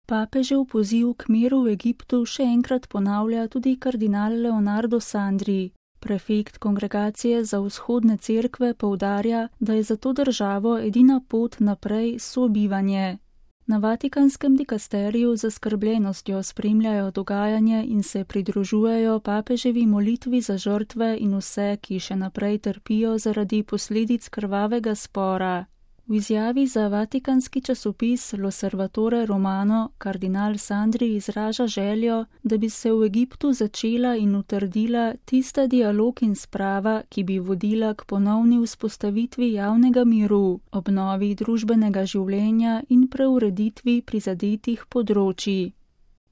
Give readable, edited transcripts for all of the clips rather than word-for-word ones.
Papežev poziv k miru v Egiptu še enkrat ponavlja tudi kardinal Leonardo Sandri. Prefekt Kongregacije za vzhodne cerkve poudarja, da je za to državo edina pot naprej sobivanje. Na Vatikanskem dikasteriju z zaskrbljenostjo spremljajo dogajanje in se pridružujejo papeževi molitvi za žrtve in vse, ki še naprej trpijo zaradi posledic krvavega spora. V izjavi za vatikanski časopis L'Osservatore Romano kardinal Sandri izraža željo, da bi se v Egiptu začela in utrdila tista dialog in sprava, ki bi vodila k ponovni vzpostavitvi javnega miru, obnovi družbenega življenja in preureditvi prizadetih področij.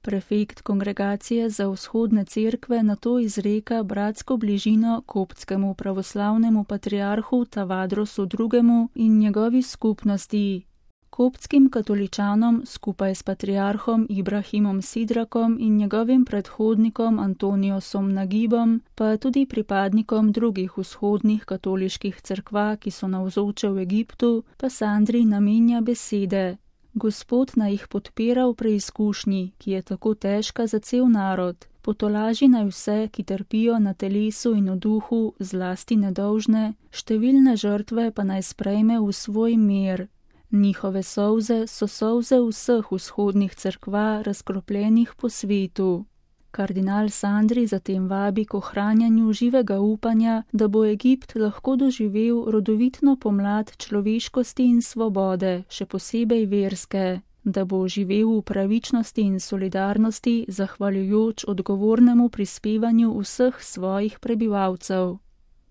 Prefekt Kongregacije za vzhodne cerkve nato izreka bratsko bližino koptskemu pravoslavnemu patriarhu Tavadrosu II. In njegovi skupnosti. Koptskim katoličanom skupaj s patriarhom Ibrahimom Sidrakom in njegovim predhodnikom Antoniosom Nagibom, pa tudi pripadnikom drugih vzhodnih katoliških cerkva, ki so navzoče v Egiptu, pa Sandri namenja besede. Gospod naj jih podpira v preizkušnji, ki je tako težka za cel narod. Potolaži naj vse, ki trpijo na telesu in v duhu, zlasti nedolžne, številne žrtve pa naj sprejme v svoj mir. Njihove solze so solze vseh vzhodnih cerkva, razkropljenih po svetu. Kardinal Sandri zatem vabi k ohranjanju živega upanja, da bo Egipt lahko doživel rodovitno pomlad človeškosti in svobode, še posebej verske, da bo živel v pravičnosti in solidarnosti, zahvaljujoč odgovornemu prispevanju vseh svojih prebivalcev.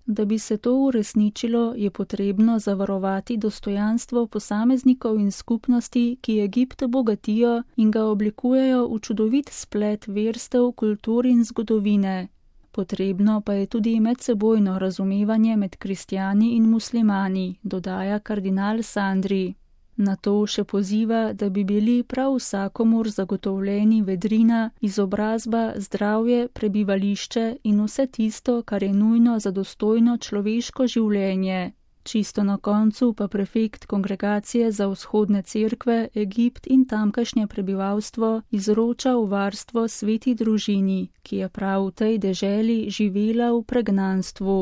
Da bi se to uresničilo, je potrebno zavarovati dostojanstvo posameznikov in skupnosti, ki Egipt bogatijo in ga oblikujejo v čudovit splet verstev, kultur in zgodovine. Potrebno pa je tudi medsebojno razumevanje med kristjani in muslimani, dodaja kardinal Sandri. Na to še poziva, da bi bili prav vsakomur zagotovljeni vedrina, izobrazba, zdravje, prebivališče in vse tisto, kar je nujno za dostojno človeško življenje. Čisto na koncu pa prefekt Kongregacije za vzhodne cerkve, Egipt in tamkajšnje prebivalstvo izroča v varstvo sveti družini, ki je prav v tej deželi živela v pregnanstvu.